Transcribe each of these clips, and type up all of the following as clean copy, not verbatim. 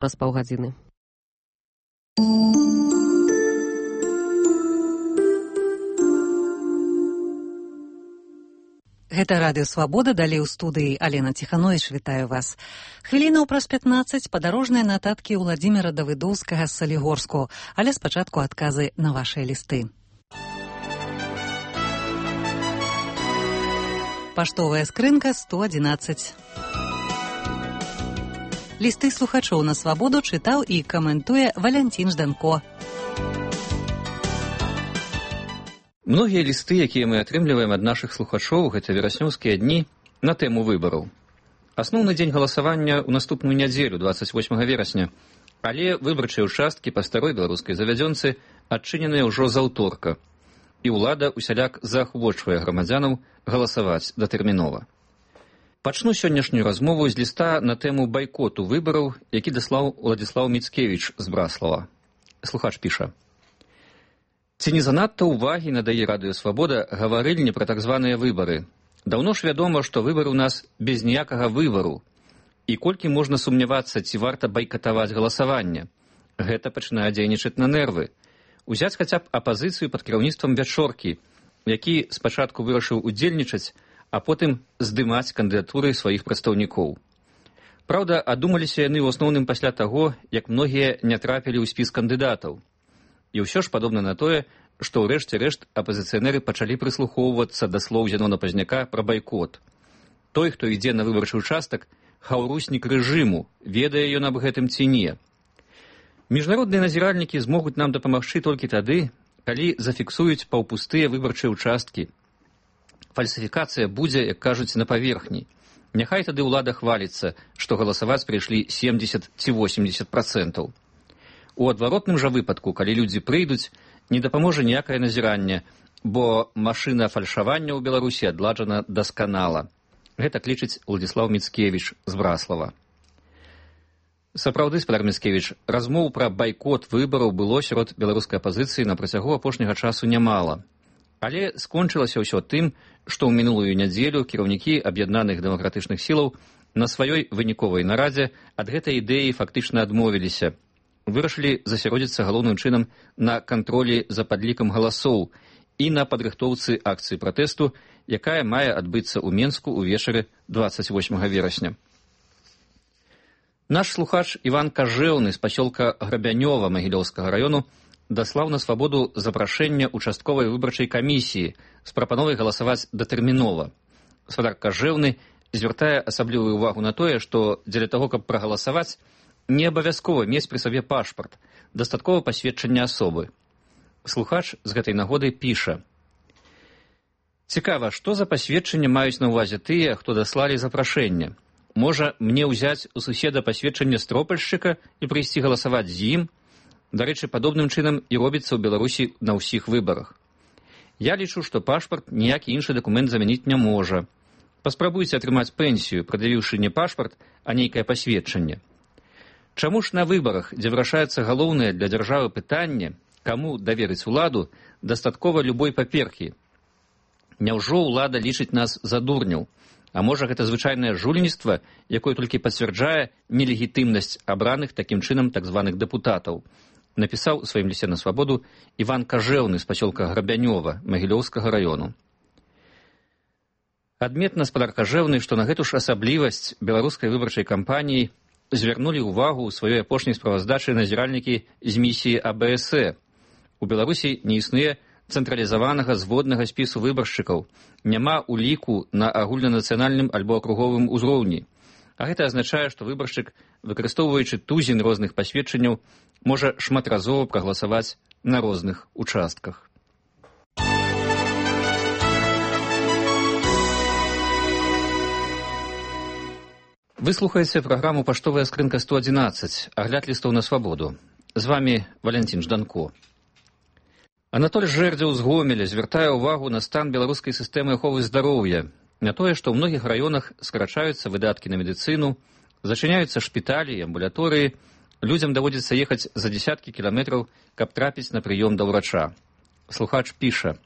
праз паўгадзіны. Гэта радыё «Свабода», далей у студыі Алена Ціхановіч, вітаю вас. Хвілінаў праз 15 падарожныя нататкі Уладзіміра Давыдоўскага з Салігорску, але спачатку адказы на вашыя лісты. Паштовая скрынка 111. Лісты слухачоў на «Свабоду» чытаў і каментуе Валянцін Жданко. Многія лісты, якія мы атрымліваем ад нашых слухачоў, гэта вераснёўскія дні на тэму выбараў. Асноўны дзень галасавання ў наступную нядзелю, 28 верасня, але выбарчыя ўчасткі па старой беларускай завядзёнцы адчыненыя ўжо з аўторка, і ўлада ўсяляк заахвочвае грамадзянаў галасаваць датэрмінова. Пачну сённяшнюю размову з ліста на тэму байкоту выбараў, які даслаў Уладзіслаў Міцкевіч з Браслава. Слухач піша: «Ці не занадта ўвагі надае радыё «Свабода» гаварыльні пра так званыя выбары? Даўно ж вядома, што выбары ў нас без ніякага выбару. І колькі можна сумнявацца, ці варта байкатаваць галасаванне? Гэта пачынае дзейнічаць на нервы. Узяць хаця б апазіцыю пад кіраўніцтвам Вячоркі, які спачатку вырашыў удзельнічаць, а потым здымаць кандыдатуры сваіх прадстаўнікоў. Праўда, адумаліся яны ў асноўным пасля таго, як многія не трапілі ў спіс кандыдатаў. І ўсё ж падобна на тое, што ў рэшце рэшт апазіцыянеры пачалі прыслухоўвацца да слоў Зянона Пазняка пра байкот. Той, хто ідзе на выбарчы ўчастак, хаўруснік рэжыму, ведае ён аб гэтым ці не. Міжнародныя назіральнікі змогуць нам дапамагчы толькі тады, калі зафіксуюць паўпустыя выбарчыя ўчасткі. Фальсіфікацыя будзе, як кажуць, на паверхні. Няхай тады ўлада хваліцца, што галасаваць прыйшлі 70 ці 80%. У адваротным жа выпадку, калі людзі прыйдуць, не дапаможа ніякае назіранне, бо машына фальшавання ў Беларусі адладжана дасканала. Гэта лічыць Уладзіслаў Міцкевіч з Браслава. Сапраўды, спадар Міцкевіч, размоў пра байкот выбараў было сярод беларускай апазіцыі на працягу апошняга часу нямала. Але скончылася ўсё тым, што ў мінулую нядзелю кіраўнікі аб'яднаных дэмакратычных сілаў на сваёй выніковай нарадзе ад гэтай ідэі фактычна адмовіліся. Вырашылі засяродзіцца галоўным чынам на кантролі за падлікам галасоў і на падрыхтоўцы акцыі пратэсту, якая мае адбыцца ў Менску ўвечары 28 верасня. Наш слухач Іван Кажэўны з пасёлка Грабянёва Магілёўскага раёну даслаў на «Свабоду» запрашэнне участковай выбарчай камісіі з прапановай галасаваць датэрмінова. Спадар Кажэўны звяртае асаблівую ўвагу на тое, што дзеля таго, каб прагаласаваць, не абавязкова мець пры сабе пашпарт, дастаткова пасведчання асобы. Слухач з гэтай нагоды піша: «Цікава, што за пасведчанне маюць на ўвазе тыя, хто даслалі запрашэнне? Можа, мне ўзяць у суседа пасведчанне стропальшчыка і прыйсці галасаваць з ім? Дарэчы, падобным чынам і робіцца ў Беларусі на ўсіх выбарах. Я лічу, што пашпарт ніякі іншы дакумент замяніць не можа. Паспрабуйце атрымаць пенсію, прад'явіўшы не пашпарт, а нейкае пасведчанне. Чаму ж на выбарах, дзе вырашаецца галоўнае для дзяржавы пытанне, каму даверыць уладу, дастаткова любой паперкі? Няўжо ўлада лічыць нас за дурняў? А можа, гэта звычайнае жульніцтва, якое толькі пацвярджае нелегітымнасць абраных такім чынам так званых дэпутатаў? Напісаў у сваім лісце на «Свабоду» Іван Кажэўны з пасёлка Грабянёва Магілёўскага раёну. Адметна, спадар Кажэўны, што на гэту ж асаблівасць беларускай выбарчай кампаніі звярнулі ўвагу ў сваёй апошняй справаздачы назіральнікі з місіі АБСЭ. У Беларусі не існуе цэнтралізаванага зводнага спісу выбаршчыкаў, няма уліку на агульнанацыянальным альбо акруговым узроўні. А гэта азначае, што выбаршчык, выкарыстоўваючы тузін розных пасведчанняў, можа шматразова прагаласаваць на розных участках. Вы слухаеце праграму «Паштовая скрынка 111», агляд лістоў на «Свабоду». З вами Валянцін Жданко. Анатоль Жэрдзеў з Гомеля звяртае ўвагу на стан беларускай сістэмы аховы здароўя, на тое, што ў многіх раёнах скарачаюцца выдаткі на медыцыну, зачыняюцца шпіталі і амбулаторыі, людзям даводзіцца ехаць за дзесяткі кіламетраў, каб трапіць на прыём да ўрача. Слухач піша: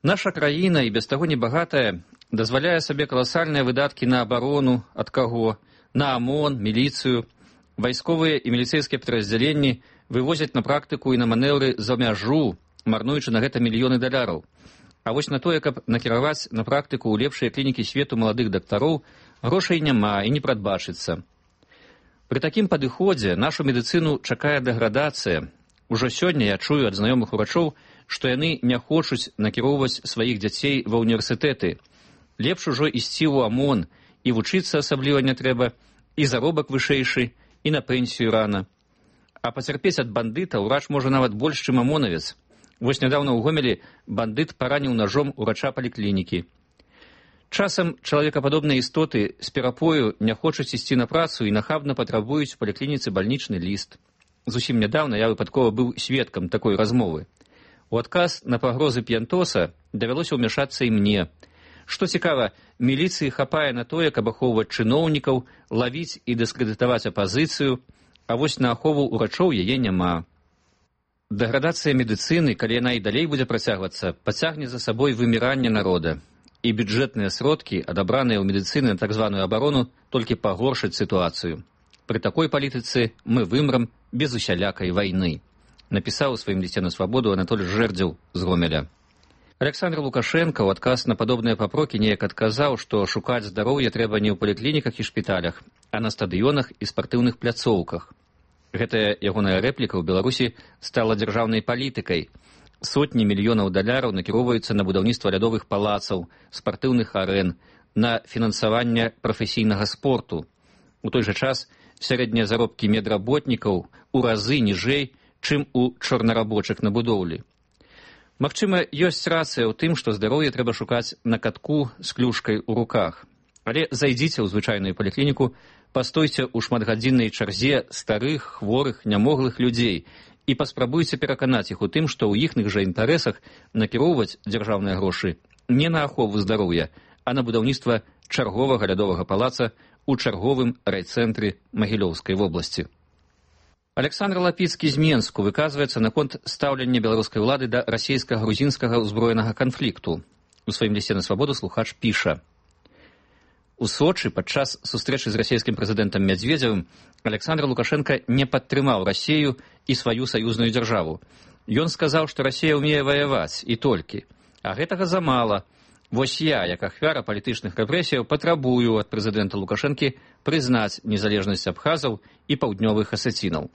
«Наша краіна, і без таго небагатая, дазваляе сабе каласальныя выдаткі на абарону, ад каго, на АМОН, міліцыю, Вайсковыя і міліцэйскія падраздзяленні вывозяць на практыку і на манеўры за мяжу, марнуючы на гэта мільёны даляраў. А вось на тое, каб накіраваць на практыку ў лепшыя клінікі свету маладых дактароў, грошай няма і не прадбачыцца. Пры такім падыходзе нашу медыцыну чакае дэградацыя. Ужо сёння я чую ад знаёмых урачоў, што яны не хочуць накіроўваць сваіх дзяцей ва ўніверсітэты. Лепш ужо ісці ў ОМОН, і вучыцца асабліва не трэба, і заробак вышэйшы, і на пенсію рана. А пацярпець ад бандыта ўрач можа нават больш, чым ОМОНавец. Вось нядаўна ў Гомелі бандыт параніў нажом урача паліклінікі. Часам чалавекападобныя істоты з перапою не хочуць ісці на працу і нахабна патрабуюць у паліклініцы бальнічны ліст. Зусім нядаўна я выпадкова быў сведкам такой размовы. У адказ на пагрозы п'янтоса давялося ўмяшацца і мне. Што цікава, міліцыі хапае на тое, каб ахоўваць чыноўнікаў, лавіць і дыскрэдытаваць апазіцыю, а вось на ахову ўрачоў яе няма. Дэградацыя медыцыны, калі яна і далей будзе працягвацца, пацягне за сабой выміранне народа. І бюджэтныя сродкі, адабраныя ў медыцыны на так званую абарону, толькі пагоршаць сітуацыю. Пры такой палітыцы мы вымрам без усялякай вайны, напісаў у сваім лісце на свабоду Анатоль Жэрдзеў з Гомеля. Александр Лукашенко ў адказ на падобныя папрокі неяк адказаў, што шукаць здароўе трэба не ў паліклініках і шпіталях, а на стадыёнах і спартыўных пляцоўках. Гэтая ягоная рэпліка ў Беларусі стала дзяржаўнай палітыкай. Сотні мільёнаў даляраў накіроўваюцца на будаўніцтва лядовых палацаў, спартыўных арэн, на фінансаванне прафесійнага спорту. У той жа час сярэднія заробкі медработнікаў у разы ніжэй, чым у чорнарабочых на будоўлі. Магчыма, ёсць рацыя ў тым, што здароўе трэба шукаць на катку з клюшкай у руках. Але зайдзіце ў звычайную паліклініку, пастойце ў шматгадзіннай чарзе старых, хворых, нямоглых людзей і паспрабуйце пераканаць іх у тым, што ў іхных жа інтарэсах накіроўваць дзяржаўныя грошы не на ахову здароўя, а на будаўніцтва чарговага лядовага палаца ў чарговым райцэнтры Магілёўскай вобласці. Александр Лапіцкі з Менску выказваецца наконт стаўлення беларускай улады да расійска-грузінскага ўзброенага канфлікту. У сваім лісце на свабоду слухач піша: У Сочы падчас сустрэчы з расійскім прэзідэнтам Мядзведзевым Александр Лукашенко не падтрымаў Расію і сваю саюзную дзяржаву. Ён сказаў, што Расія ўмее ваяваць, і толькі. А гэтага замала. Вось я, як ахвяра палітычных рэпрэсіяў, патрабую ад прэзідэнта Лукашэнкі прызнаць незалежнасць абхазаў і паўднёвых асецінаў.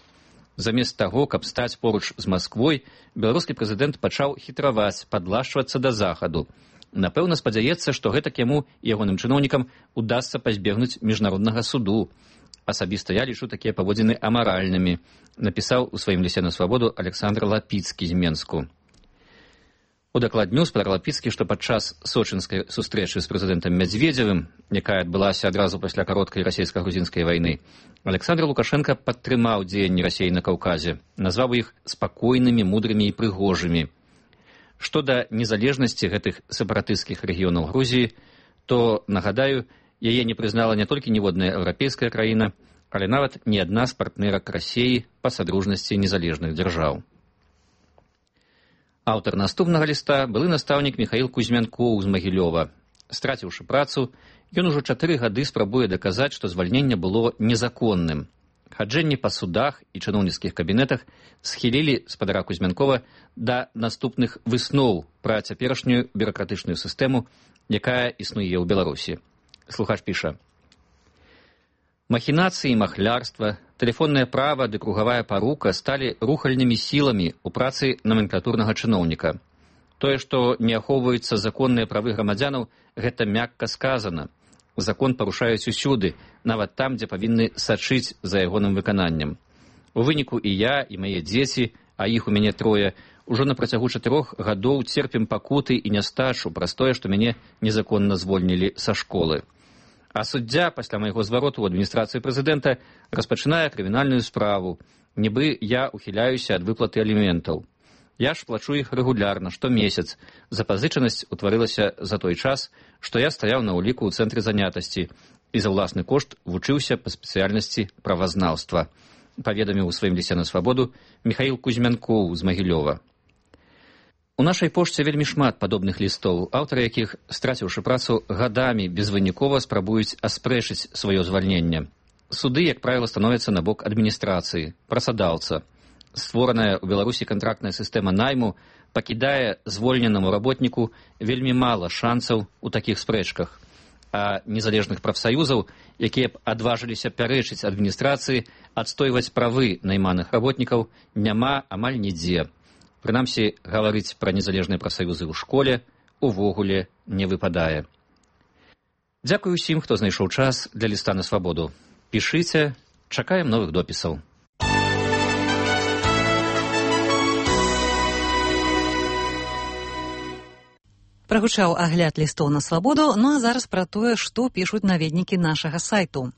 Замест таго, каб стаць поруч з Масквой, беларускі прэзідэнт пачаў хітраваць, падлашчвацца да захаду. Напэўна, спадзяецца, што гэтак яму і ягоным чыноўнікам удасца пазбегнуць міжнароднага суду. Асабіста я лічу такія паводзіны амаральнымі, напісаў у сваім лісце на свабоду Александр Лапіцкі з Менску. Удакладню спадар Лапіцкі, што падчас сочынскай сустрэчы з прэзідэнтам Мядзведзевым, якая адбылася адразу пасля кароткай расійска-грузінскай вайны, Александр Лукашенко падтрымаў дзеянні Расіі на Каўказе, назваў іх спакойнымі, мудрымі і прыгожымі. Што да незалежнасці гэтых сепаратысцкіх рэгіёнаў Грузіі, то, нагадаю, яе не прызнала не толькі ніводная еўрапейская краіна, але нават ні адна з партнерак Расіі па садружнасці незалежных дзяржаў. Аўтар наступнага ліста былы настаўнік Міхаіл Кузьмянкоў з Магілёва. Страціўшы працу, ён ужо 4 гады спрабуе даказаць, што звальненне было незаконным. Хаджэнні па судах і чыноўніцкіх кабінетах схілілі спадара Кузьмянкова да наступных высноў пра цяперашнюю бюракратычную сістэму, якая існуе ў Беларусі. Слухач піша: Махінацыі, махлярства, тэлефоннае права ды кругавая парука сталі рухальнымі сіламі ў працы номенклатурнага чыноўніка. Тое, што не ахоўваюцца законныя правы грамадзянаў, гэта мякка сказана. Закон парушаюць усюды, нават там, дзе павінны сачыць за ягоным выкананнем. У выніку і я, і мае дзеці, а іх у мяне 3, ужо на працягу 4 гадоў церпім пакуты і нястачу праз тое, што мяне незаконна звольнілі са школы. А суддзя пасля майго звароту ў адміністрацыі прэзідэнта распачынае крымінальную справу, нібы я ухіляюся ад выплаты аліментаў. Я ж плачу іх рэгулярна, штомесяц. Запазычанасць утварылася за той час, што я стаяў на ўліку ў цэнтры занятасці і за ўласны кошт вучыўся па спецыяльнасці правазнаўства, паведаміў у сваім лісце на свабоду Міхаіл Кузьмянкоў з Магілёва. У нашай пошце вельмі шмат падобных лістоў, аўтары якіх, страціўшы працу, гадамі безвынікова спрабуюць аспрэчыць сваё звальненне. суды, як правіла, становяцца на бок адміністрацыі, працадаўца. Створаная ў Беларусі кантрактная сістэма найму пакідае звольненаму работніку вельмі мала шансаў у такіх спрэчках, а незалежных прафсаюзаў, якія б адважыліся пярэчыць адміністрацыі, адстойваць правы найманых работнікаў, няма амаль нідзе. Прынамсі, гаварыць пра незалежныя прафсаюзы ў школе увогуле не выпадае. Дзякую ўсім, хто знайшоў час для ліста на свабоду. Пішыце, чакаем новых допісаў. Прагучаў агляд лістоў на свабоду, ну а зараз пра тое, што пішуць наведнікі нашага сайту.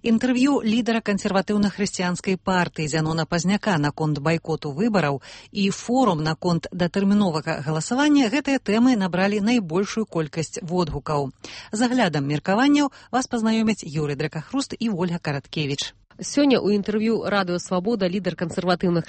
Інтэрв'ю лідара кансерватыўна-хрысціянскай партыі Зянона Пазняка наконт байкоту выбараў і форум наконт датэрміновага галасавання гэтыя тэмы набралі найбольшую колькасць водгукаў. З аглядам меркаванняў вас пазнаёмяць Юрый Дракахруст і Ольга Караткевіч. Сёння ў інтэрв'ю радыё «Свабода» лідар кансерватыўных